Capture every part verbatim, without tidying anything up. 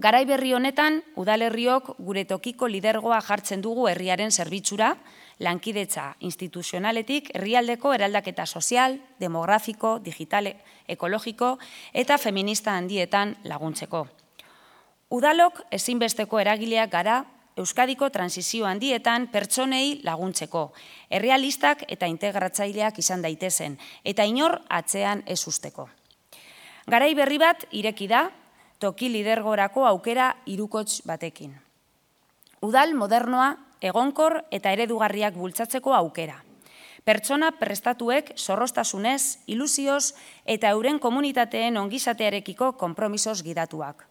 Garai berri honetan, udalerriok gure tokiko lidergoa jartzen dugu herriaren zerbitzura, lankidetza instituzionaletik herrialdeko eraldaketa sozial, demografiko, digitale, ekologiko eta feminista handietan laguntzeko. Udalok ezinbesteko eragileak gara Euskadiko transizio handietan pertsonei laguntzeko, errealistak eta integratzaileak izan daitezen, eta inor atzean ez usteko. Garai berri bat ireki da, toki lidergorako aukera hirukots batekin. Udal modernoa, egonkor eta eredugarriak bultzatzeko aukera. Pertsona prestatuek zorroztasunez, ilusioz eta euren komunitateen ongizatearekiko konpromisoz gidatuak.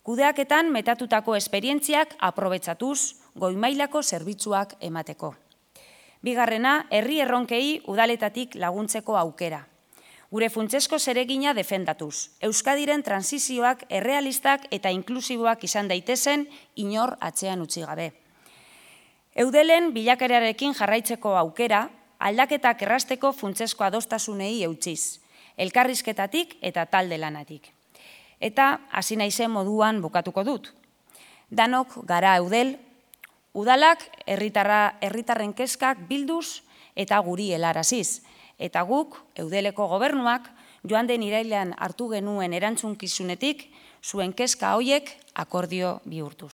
Kudeaketan metatutako esperientziak aprobetxatuz, goi-mailako zerbitzuak emateko. Bigarrena, herri erronkei udaletatik laguntzeko aukera. Gure funtsesko zeregina defendatuz, Euskadiren transizioak errealistak eta inklusiboak izan daitezen inor atzean utzi gabe. Eudelen bilakaerarekin jarraitzeko aukera, aldaketak errasteko funtsesko adostasunei eutziz, elkarrizketatik eta talde lanatik. Eta hasi naizen moduan bukatuko dut. Danok gara Eudel, udalak herritarren kezkak bilduz eta guri helaraziz. Eta guk, Eudeleko gobernuak, joan den irailean hartu genuen erantzunkizunetik, zuen kezka hoiek akordio bihurtuz.